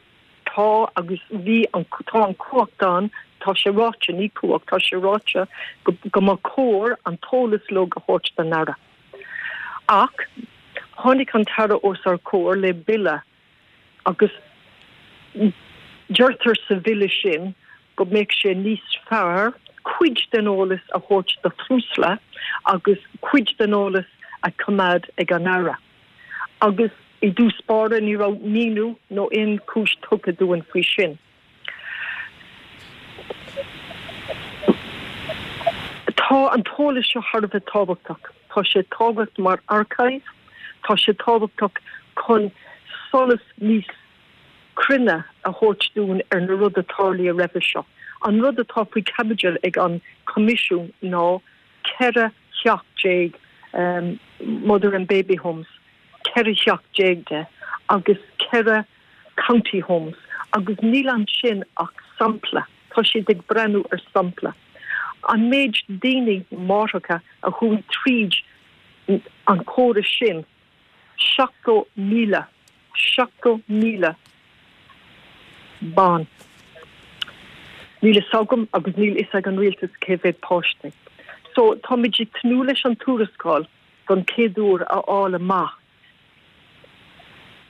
tá agus bhí an tá an cumhacht ann, tá sé ráite, ní cumhacht, tá sé ráite go go mba chóir an t-eolas uilig a thabhairt don Aire. Ach tháinig an tAire os ár comhair le bille agus deirtear sa bhille sin go mbeadh sé níos fearr cuid den eolas a thabhairt do Thusla agus cuid den eolas a choimeád ag an Aire. Agus i dtús báire ní raibh míniú nó aon chúis tugtha dúinn faoi sin. Tá an t-eolas seo thar a bheith tábhachtach. Tá sé tábhachtach mar archive, tá sé tábhachtach chun solas níos cruinne a thabhairt dúinn ar na rudaí a tarlaíodh roimhe seo. An rud atá faoi chaibidil ag an Coimisiún ná 14 theach Mother and Baby Homes, 14 theach de agus 4 County Homes agus níl ansin ach sampla, tá siad ag breathnú ar sampla. An méid daoine, máithreacha, a chuaigh tríd an córas sin, 70,000, 70,000 ban. Níl fhios agam agus níl fhios ag an rialtas cé mhéad páistí. So táimid ag tnúth leis an tuarascáil don chéad uair a fháil amach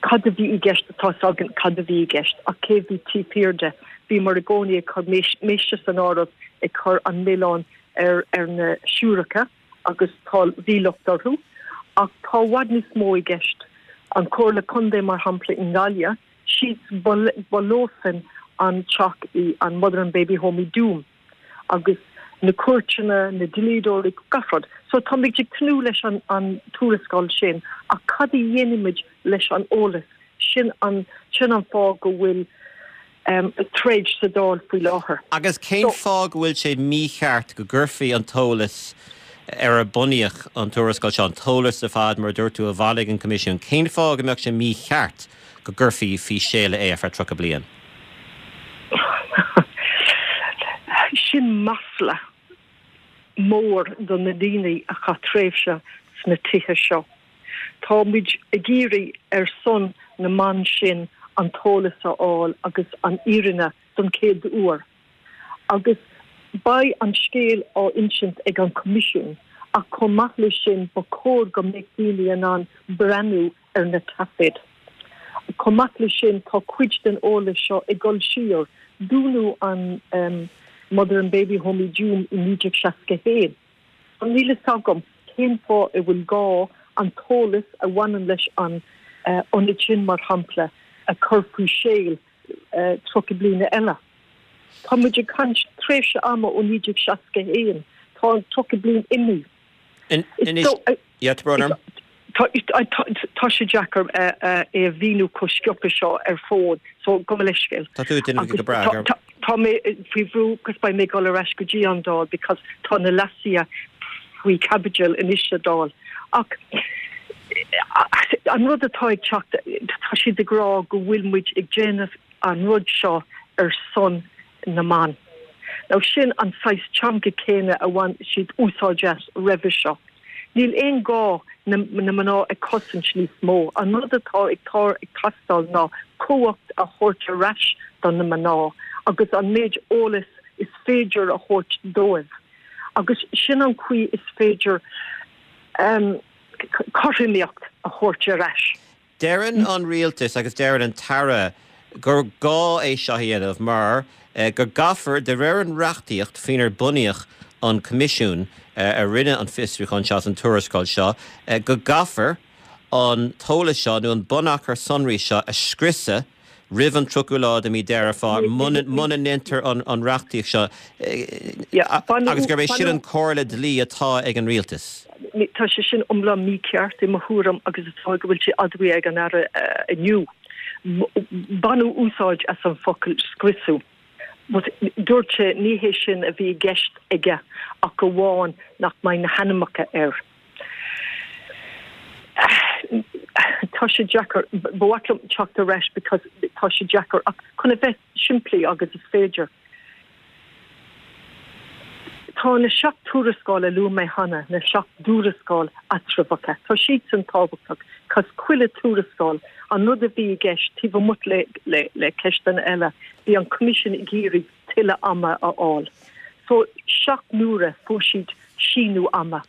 cad a bhí i gceist, tá fhios againn cad a bhí i gceist ach cé bhí taobh thiar de. Bhíomar i gcónaí ag cur mise san áireamh ag cur an milleán ar ar na siúracha agus tá bhí locht orthu ach tá i bhfad níos mó i gceist. An Comhairle Contae mar shampla i nGaillimh, siad ba leosan an teach i an Mother and Baby Home i dTuaim. agus na cúirteanna, na dlíodóirí, gach rud. So táimid ag tnúth leis an an tuarascáil sin ach cad a dhéanfaimid leis an eolas? Sin an sin an fáth go bhfuil troid sa Dáil faoi láthair.
Agus cén fáth go bhfuil sé mícheart go gcuirfí an t-eolas ar ar bunaíodh an tuarascáil seo, an t-eolas ar fad, mar a dúirt tú, a bhailigh an Coimisiún, cén fáth go mbeadh sé mícheart go gcuirfí faoi séala é ar feadh 30 bliain?
Sin masla mór do na daoine a chaith tréimhse sna tithe seo. Tá muid ag iarraidh ar son na mban sin an t-eolas a fháil agus an fhírinne don chéad uair. Agus beidh an scéal á insint ag an Coimisiún ach chomh maith leis sin ba chóir go mbeadh daoine in ann breathnú ar na taifid. Chomh maith leis sin, tá cuid den eolas seo ag dul siar. Dúnadh an Mother and Baby Home i dTuaim i 1961. So níl fhios agam cén fáth a bhfuil gá an t-eolas a bhaineann leis an ionad sin, mar shampla, a chur faoi séal 30 bliana eile. Tá muid ag caint tréimhse ama ó 1961. Tá an 30 bliain imithe.
Anois, yeah, tá brón orm.
Tá sé deacair é a mhíniú chomh sciobtha seo ar fón, so gabh mo leithscéal.
Tá tú ag déanamh go breá.
Tá mé faoi bhrú agus beidh mé ag dul ar ais go dtí an Dáil because tá na leasuithe faoi chaibidil anois sa Dáil. Ach an rud atá ag teacht, tá siad ag rá go bhfuil muid ag déanamh an rud seo ar son na mban. Now sin an saghas teanga céanna a bhain siad úsáid as roimhe seo. Níl aon gá na mná a chosaint níos mó. An rud atá ag teastáil ná cumhacht a thabhairt ar ais do na mná agus an méid eolas is féidir a thabhairt dóibh. Agus sin an chaoi is féidir cothromaíocht a thabhairt ar ais.
Deireann an rialtas agus deireann an tAire gur gá é seo a dhéanamh mar go gcaithfear, de réir an reachtaíocht faoinar bunaíodh an Coimisiún a rinne an fiosrúchán seo agus an tuarascáil seo, go gcaithfear an t-eolas seo nó an bunachar sonraí seo a scriosadh. roimh an 30ú lá de mí Deireadh Fómhair muna ndéantar an reachtaíocht seo agus gurb é sin an comhairle dlí atá ag an rialtas.
Tá sé sin iomlán mícheart i mo thuairim agus is dóigh go bhfuil sé admhaithe ag an Aire inniu. Baineadh úsáid as an focal scriosadh. But dúirt sé ní hé sin a bhí i gceist aige ach amháin nach mbeidh na hainmneacha air. Tá sé deacair, ba mhaith liom teacht ar ais because tá sé deacair ach chun a bheith simplí agus is féidir. Tá na 7 tuarascáil a luaigh mé cheana, na 7 dtuarascáil eatramhacha, tá siadsan tábhachtach cos chuile tuarascáil, an rud a bhí i gceist taobh amuigh le le ceisteanna eile, bhí an Coimisiún ag iarraidh tuilleadh ama a fháil. So, 7 n-uaire fuair siad síneadh ama.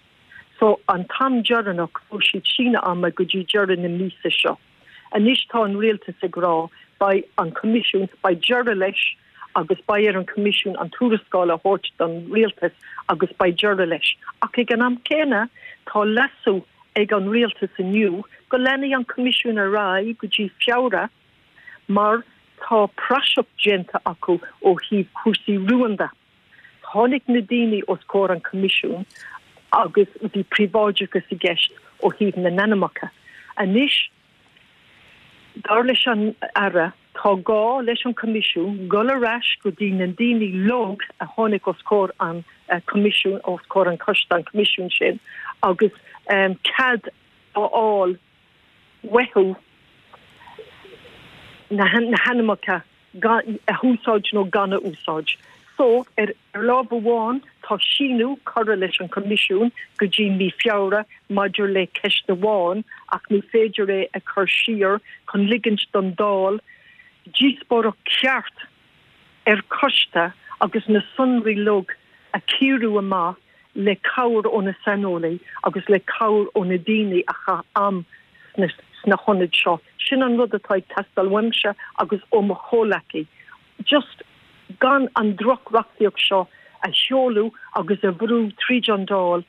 So, an t-am deireanach fuair siad síneadh ama go dtí deireadh na míosa seo. Anois tá an rialtas ag rá beidh an Coimisiún, beidh deireadh leis agus beidh ar an Choimisiún an tuarascáil a thabhairt don rialtas agus beidh deireadh leis. Ach ag an am céanna tá leasú ag an rialtas inniu go leanfaidh an Coimisiún ar aghaidh go dtí Feabhra mar tá praiseach déanta acu ó thaobh cúrsaí rúnda. Tháinig na daoine os comhair an Choimisiúin agus bhí príobháideachas i gceist ó thaobh na n-ainmneacha. Anois, dar leis an Aire, tá gá leis an Choimisiún dul ar ais go dtí na daoine uilig a tháinig os comhair an Choimisiúin, os comhair an choiste, an Choimisiúin sin, agus cead a fháil uathu na hainmneacha a úsáid nó gan a úsáid. So, ar lámh amháin, tá síneadh curtha leis an Choimisiún go dtí mí Feabhra maidir le ceist amháin ach ní féidir é a chur siar chun ligint don Dáil díospóireacht cheart ar choiste agus na sonraí uilig a chíoradh amach le cabhair ó na saineolaí agus le cabhair ó na daoine a chaith am sna hionaid seo. Sin an rud atá ag teastáil uaimse agus ó mo chomhleacaí. Just gan an droch-reachtaíocht seo a sheoladh agus a bhrú tríd an Dáil,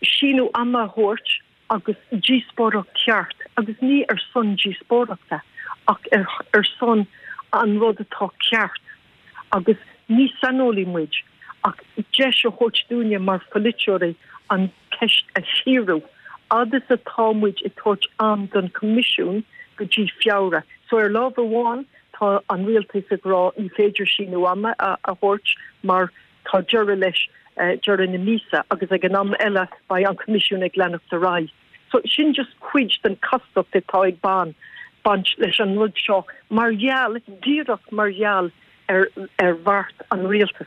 síneadh ama a thabhairt agus díospóireacht cheart, agus ní ar son díospóireachta ach ar son an rud atá ceart. Agus ní saineolaí muid ach deis a thabhairt dúinne mar pholaiteoirí an cheist a chíoradh, fhad is atá muid ag tabhairt am don Choimisiún go dtí Feabhra. So ar lámh amháin tá an rialtas ag rá ní féidir síneadh ama a thabhairt mar tá deireadh leis deireadh na míosa agus ag an am eile beidh an Coimisiún ag leanacht ar aghaidh. So sin just cuid den chastacht atá ag baint leis an rud seo mar gheall, díreach mar gheall ar ar bheart an rialtais.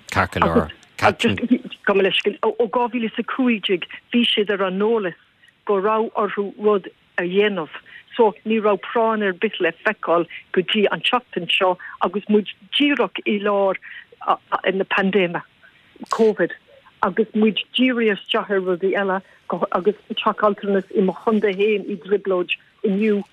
Ceart go leor.
Agus just gabh mo leithscéal, ó 2015 bhí siad ar an eolas go raibh orthu rud a dhéanamh so ní raibh práinn ar bith le feiceáil go dtí an tseachtain seo agus muid díreach i lár na paindéime Covid agus muid dírithe isteach ar rudaí eile agus teach altranais i mo chontae féin i dtrioblóid inniu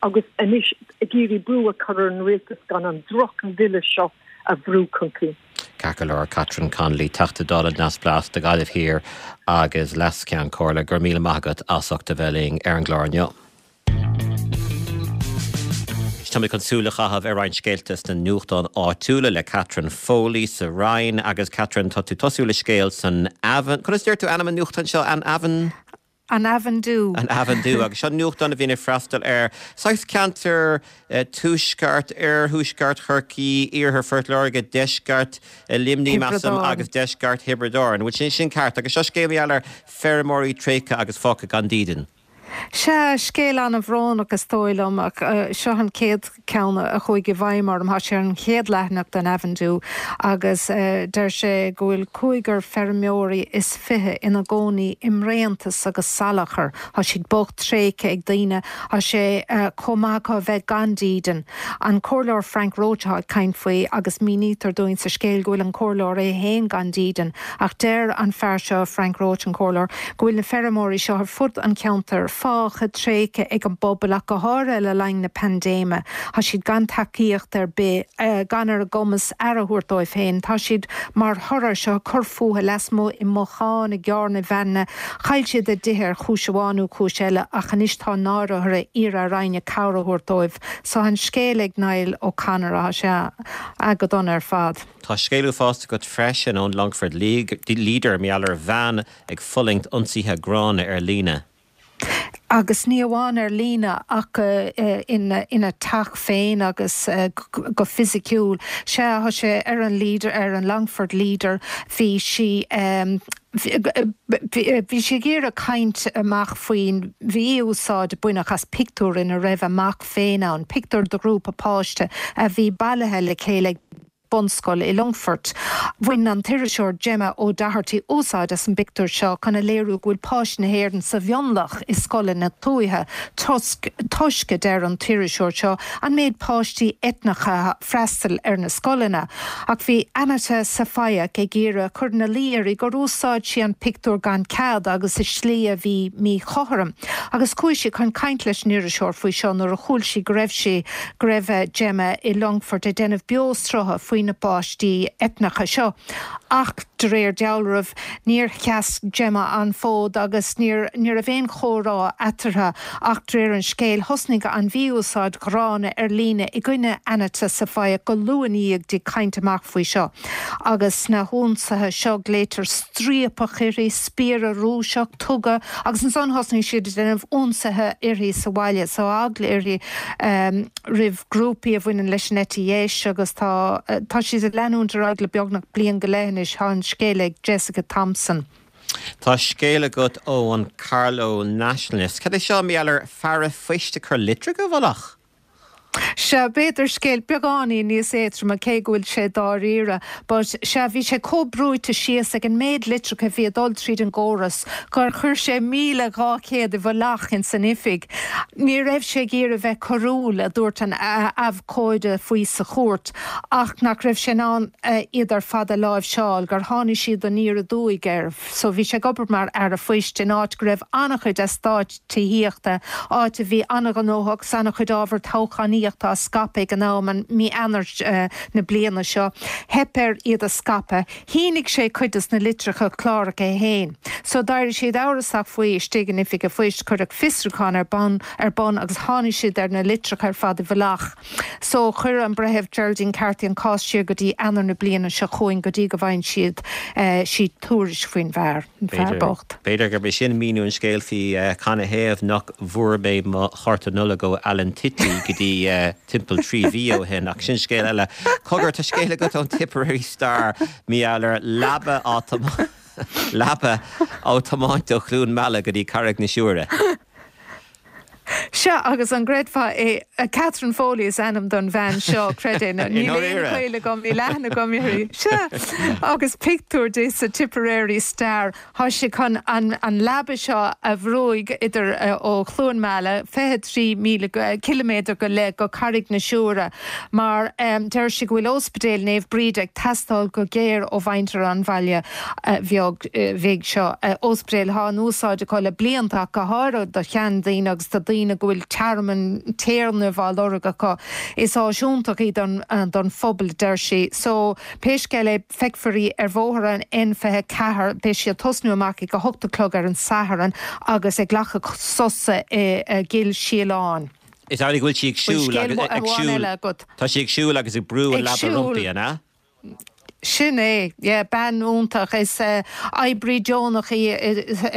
agus anois ag iarraidh brú a chur ar an rialtas gan an droch-bhille seo a bhrú chun cinn.
Ceart go leor, Catherine Connolly, Teachta Dála Neamhspleách do Ghaillimh Thiar agus Leas-Cheann Comhairle, go raibh míle maith agat as ucht a bheith linn ar an gclár inniu. Táimid chun súil a chaitheamh ar roinnt scéalta sna nuachtáin áitiúla le Catherine Foley sa Rinn agus Catherine, tá tú ag tosú le scéal san Avon. Conas a deir tú ainm an nuachtáin seo? An Avon?
An Avondhu.
An Avondhu. Agus seo nuachtán a bhíonn ag freastal ar saghas ceantar tuaisceart, oirthuaisceart Chorcaí, iarthar Phort Láirge, deisceart Luimnigh, measaim, agus deisceart Thiobraid Árann. Bhfuil sin sin ceart? Agus seo scéal mar gheall ar feirmeoirí tréigthe agus fágtha gan dídean.
Sea, scéal an-bhrónach is dóigh liom, ach seo an chéad ceann a chuaigh i bhfeidhm orm. Tá sé ar an chéad leathanach den Avondhu agus deir sé go bhfuil cúigear feirmeoirí is 20 ina gcónaí i mbréantas agus salachar. Tá siad bocht, tréigthe ag daoine. Tá sé chomh maith acu a bheith gan dídean. An Comhairleoir Frank Roche atá ag caint faoi agus mínítear dúinn sa scéal go bhfuil an Comhairleoir é féin gan dídean. Ach deir an fear seo, Frank Roche, an Comhairleoir, go bhfuil na feirmeoirí seo ar fud an cheantair. fágtha tréigthe ag an bpobal ach go háirithe le linn na paindéime. Tá siad gan tacaíocht ar bith, gan ar a gcumas aire a thabhairt dóibh féin. Tá siad mar thoradh air seo ag cur fúthu lasmuigh i mbotháin, i gcarranna, veaineanna. Chaill siad a dtithe ar chúis amháin nó cúis eile ach anois tá náire orthu iarraidh ar éinne cabhair a thabhairt dóibh. So an scéal ag Niall O'Connor, tá sé go dona ar fad.
Tá scéal uafásach agat freisin ón Longford Leader, mar gheall ar bhean ag fulaingt ionsaithe gránna ar líne.
Agus ní amháin ar líne ach ina teach féin agus go fisiciúil. Sea, tá sé ar an Leader, ar an Longford Leader, bhí sí, bhí sí ag iarraidh caint amach faoin mhí-úsáid a baineadh as pictiúr ina raibh a mac féin ann, pictiúr de ghrúpa páiste a bhí bailithe le chéile ag bunscoil i Longfort. Bhain an t-iriseoir Gemma O'Doherty úsáid as an bpictiúr seo chun a léiriú go bhfuil páistí na hÉireann sa mhionlach i scoileanna tuaithe toisc, toisc, a deir an t-iriseoir seo, an méid páistí eitneacha a freastal ar na scoileanna. Ach bhí Anita Safayek ag iarraidh cur ina luí uirthi gur úsáid sí an pictiúr gan cead agus i slí a bhí míchothrom. Agus chuaigh sí chun caint leis an iriseoir faoi seo nuair a chuala sí go raibh sí go raibh Gemma i Longfort ag déanamh beoshrutha faoi na páistí eitneacha seo. Ach de réir dealraimh, níor sheas Gemma an fód agus níor ní raibh aon chomhrá eatarthu ach de réir an scéil, thosnaigh an mhí-úsáid ghránna ar líne i gcoinne Anita Safayek go luath i ndiaidh di caint amach faoi seo. Agus sna hionsaithe seo glaoitear striapach uirthi, spiaire Rúiseach, tuga, agus ansan thosnaigh siad ag déanamh ionsaithe uirthi sa bhaile, so eagla uirthi roimh grúpaí a bhaineann leis an eite dheis agus tá tá siad ag leanúint ar aghaidh le beagnach bliain go leith anois. Tá an scéal ag Jessica Thompson.
Tá scéal agat ó an Carlow Nationalist. Cad é seo mar gheall ar fear an phoist ag cur litreacha i bhfolach?
Sea, b'fhéidir scéal beagáinín níos éadtroime, cé go bhfuil sé dáiríre. But, sea, bhí sé chomh brúite síos ag an méid litreacha a bhí ag dul tríd an gcóras gur chuir sé 1,200 i bhfolach ins an oifig. Ní raibh sé ag iarraidh bheith coiriúil, a dúirt an abhcóide faoi sa chúirt, ach nach raibh sé in ann iad ar fad a láimhseáil, gur tháinig siad aniar aduaidh air. So bhí sé ag obair mar fhear an phoist in áit go raibh an-chuid eastáit tithíochta, áit a bhí an-ghnóthach agus an-chuid ábhar toghchánaíochta á scaipeadh ag an am, i mí Eanáir na bliana seo. Theip air iad a scaipeadh. Shínigh sé cuid des na litreacha cláracha é féin. So d'éirigh siad amhrasach faoi istigh in oifig an phoist, cuireadh fiosrúchán ar bun ar bun agus tháinig siad ar na litreacha ar fad i bhfolach. So chuir an Breitheamh Geraldine Carthy an cás siar go dtí Eanáir na bliana seo chugainn go dtí go bhfaigheann siad sí tuairisc faoin bhfear. An fear bocht.
B'fhéidir gurb é sin míniú an scéil faoi canathaobh nach bhfuair mé mo chárta Nollag ó Alan Titley go dtí timpeall 3 mhí ó shin, ach sin scéal eile. Cogar, tá scéal agat ón Tipperary Star mar gheall ar leaba á leaba á tiomáint ó Chluain Meala go dtí Carraig na Siúire.
Sea, agus an gcreidfeá é, Catherine Foley is ainm don bhean seo, creid é nó níl aon ghaol agam, níl aithne agam uirthi. Sea, agus pictiúr di sa Tipperary Star. Tá sí chun an leaba seo a bhrúigh idir ó Chluain Meala, 23,000 ciliméadar go leith, go Carraig na Siúire, mar deir sí go bhfuil Ospidéal Naomh Bríd ag teastáil go géar ó mhuintir an bhaile bheag bhig seo. Ospidéal atá in úsáid acu le blianta ach go háirithe do sheandaoine agus do daoine go bhfuil tearmann téarnaimh á lorg acu. Is áis iontach í don phobal, deir sí. So, pé scéal é, Feicfear í ar bhóthar an N24. Beidh sí ag tosnú amach ag 8 a chlog ar an Satharn agus ag glacadh sosa i gCill Síoláin.
Is amhlaidh go bhfuil sí ag siúl agus ag siúl. Tá sí ag siúl agus ag brú an leaba roimpi, an ea?
Sin é, yeah, bean iontach. Is oibrí deonach í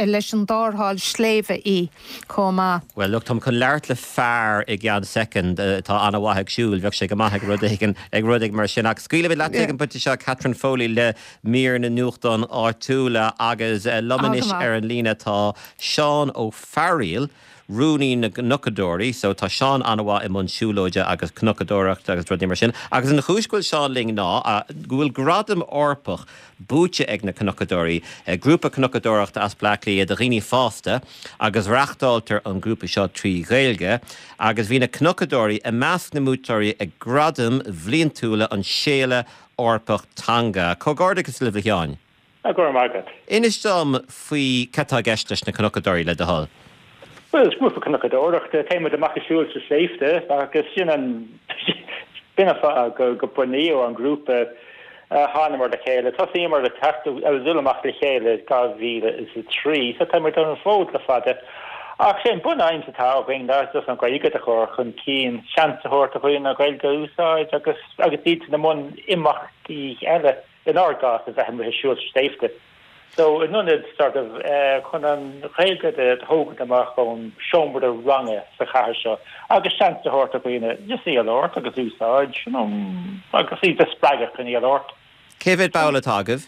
leis an dtarrtháil sléibhe í. chomh maith.
Bhuel, look, táim chun labhairt le fear i gceann soicind atá an-mhaith ag siúl, bheadh sé go maith ag rud éigin, ag rud éigin mar sin. Ach scaoilfimid leat ag an bpointe seo, Catherine Foley le mír na nuachtán áitiúla agus liom anois ar an líne tá Seán Ó Fearaíl, Rúnaí na gCnocadóirí. So tá Seán an-mhaith i mbun siúlóide agus cnocadóireachta agus rudaí mar sin. Agus an chúis go bhfuil Seán linn ná go bhfuil gradam Eorpach buaite ag na Cnocadóirí, grúpa cnocadóireachta as Bleá Cliath do dhaoine fásta agus reachtáiltear an grúpa seo trí Ghaeilge agus bhí na Cnocadóirí i measc na mbuaiteoirí ag Gradaim bhliantúla an Séala Eorpach Teanga. Comhghairdeachas libh a Sheáin.
Go raibh maith agat.
Inis dom faoi cad tá i gceist leis na Cnocadóirí, le do thoil.
Bhuel, is grúpa cnocadóireachta, téann muid amach ag siúl sna sléibhte agus sin an b'in an fáth go go bunaíodh an grúpa. Thánamar le chéile, tosaíomar ag teacht ag dul amach le chéile 2003 so tá muid ar an bhfód le fada. Ach sé an bun-aidhm atá againn ná just an Ghaeilge a chur chun cinn, seans a thabhairt do dhaoine an Ghaeilge a úsáid agus agus iad i mbun imeachtaí eile. inár gcás, a bheith amuigh ag siúl sna sléibhte. So, in ionad sort of chun an Ghaeilge a thógaint amach ón seomra ranga sa chathair seo agus seans a thabhairt do dhaoine just í a labhairt agus úsáid, you know, agus iad a spreagadh chun í a labhairt.
Cé mhéad ball atá agaibh?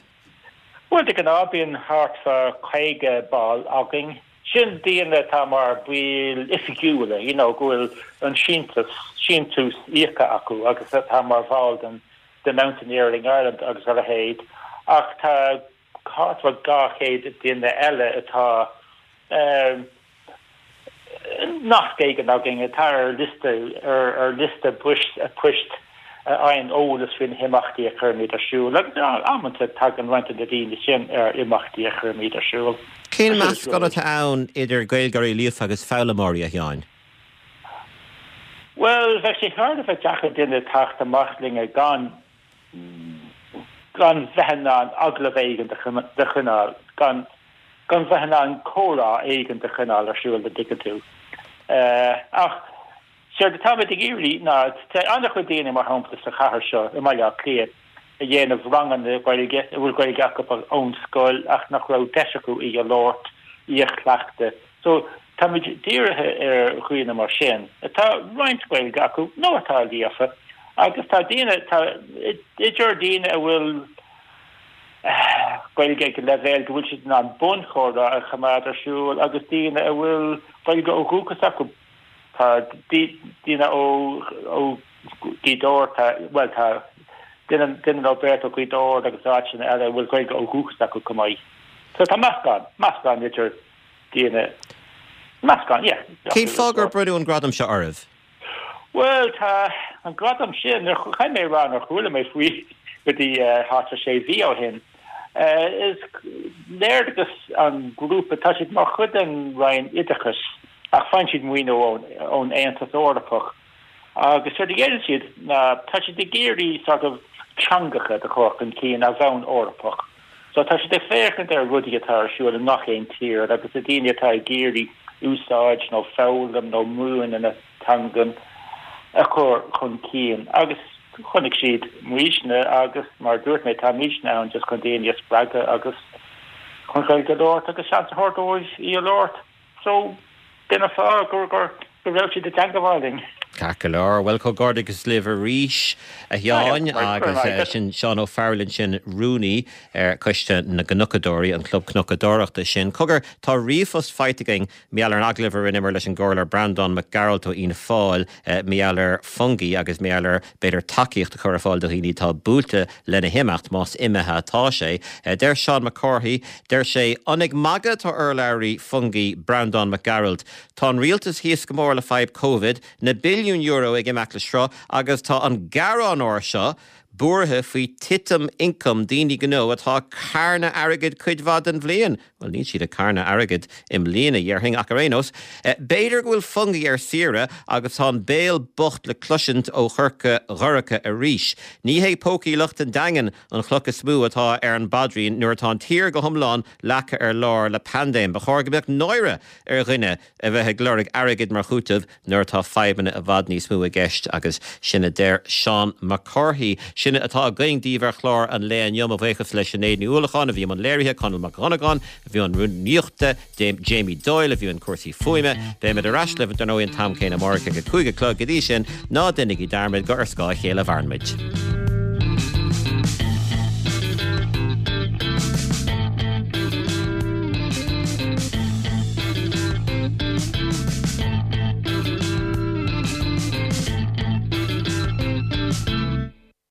Bhuel, de ghnáth bíonn thart fá 50 ball againn. Sin daoine atá mar baill oifigiúla, you know, go bhfuil an síntiús, síntiús íoctha acu agus atá mar bhall den de Mountaineering Ireland agus a leithéid, ach tá thart fá 200 duine eile atá nasc éigin againn, atá ar liosta, ar liosta poist a fhaigheann eolas faoi na himeachtaí a chuirimid ar siúl, agus amanta tagann roinnt de na daoine sin ar imeachtaí a chuirimid ar siúl.
Cén meascán atá ann idir Gaeilgeoirí líofa agus foghlaimeoirí, a Sheáin?
Bhuel, bheadh sé thar a bheith deacair duine teacht amach linn gan gan bheith in ann agallamh éigin a choinneáil, gan gan bheith in ann comhrá éigin a choinneáil ar siúl, an dtuigeann tú. Ach séard atáimid ag iarraidh ná, tá an-chuid daoine, mar shampla, sa chathair seo, i mBaile Átha Cliath, a dhéanamh ranganna Gaeilge, a bhfuil Gaeilge acu ón scoil ach nach raibh deis acu í a labhairt, í a chleachtadh. So, táimid dírithe ar dhaoine mar sin, atá roinnt Gaeilge acu nó atá líofa, agus tá daoine, tá idir daoine a bhfuil Gaeilge ag leibhéal go bhfuil siad in ann bunchomhrá a choimeád ar siúl agus daoine a bhfuil Gaeilge ó dhúchas acu. Tá daoine ó Ghaoth Dobhair, tá, bhuel, tá duine, duine nó beirt ó Ghaoth Dobhair agus áiteanna eile a bhfuil Gaeilge ó dhúchas acu chomh maith. So tá meascán, meascán idir daoine, meascán, yeah.
Cén fáth gur bronnadh an gradam seo oraibh?
Bhuel, tá an gradam sin, caithfidh mé a rá nár chuala mé faoi go dtí thart ar sé mhí ó shin. Is léargas an grúpa, tá siad mar chuid den Roinn Oideachais ach faigheann siad maoiniú ón Aontas Eorpach agus séard a dhéanann siad ná tá siad ag iarraidh sort of teangacha a chur chun cinn ar bhonn Eorpach. So tá siad ag féachaint ar rudaí atá ar siúl i ngach aon tír agus na daoine atá ag iarraidh úsáid nó foghlaim nó múineadh na teangan a chur chun cinn agus chonaic siad muidne agus mar a dúirt mé táimidne ann just chun daoine a spreagadh agus chun Gaeilge a labhairt agus seans a thabhairt dóibh í a labhairt. So, b'in an fáth go raibh siad i dteangabháil linn.
Ceart go leor. Bhuel, comhghairdeachas libh arís, a Sheáin, agus sin Seán Ó Fearghail ansin, rúnaí ar Choiste na gCnocadóirí, an club cnocadóireachta sin. Cogar, tá ríomhphost faighte againn mar gheall ar an agallamh a rinneamar leis an gComhairleoir Breandán Mac Gearailt ó Fhianna Fáil mar gheall ar Fungie agus mar gheall ar b'fhéidir tacaíocht a chur ar fáil do dhaoine atá buailte lena himeacht, más imithe atá sé. Deir Seán Mac Cárthaigh, deir sé, An ag magadh atá urlabhraí Fungie, Breandán Mac Gearailt? Tá an rialtas thíos go mór le fadhb Covid, na billiúin euro ag imeacht le sruth agus tá an gearánóir seo buartha faoi titim ioncaim daoine gnó atá ag carnadh airgid cuid mhaith den bhliain. Bhuel, níl siad ag carnadh airgid i mbliana, dhéarfainn, ach ar aon nós, b'fhéidir go bhfuil Fungie ar saoire agus tá an béal bocht le cloisint ó Chorca Dhorcha arís. Ní hé pócaí lucht an Daingin an chloch is mó atá ar an bpaidrín nuair atá an tír go hiomlán leagtha ar lár le paindéim. Ba chóir go mbeadh náire ar dhuine a bheith ag lorg airgid mar chúiteamh nuair atá fadhbanna i bhfad níos mó i gceist agus sin a deir Seán Mac Cárthaigh. Sin atá againn daoibh ar chlár an lae inniu. Mo bhuíochas le Sinéad Ní Uallacháin a bhí i mbun léirithe, Conall Mac Dhonnagáin a bhí i mbun rúnaíochta, Jamie Doyle a bhí i mbun cúrsaí fuaime. Beimid ar ais libh dar ndóigh an t-am céanna amárach ag a 5 a chlog. Go dtí sin, ná déanaigí dearmad gur ar scáth a chéile a mhaireann muid.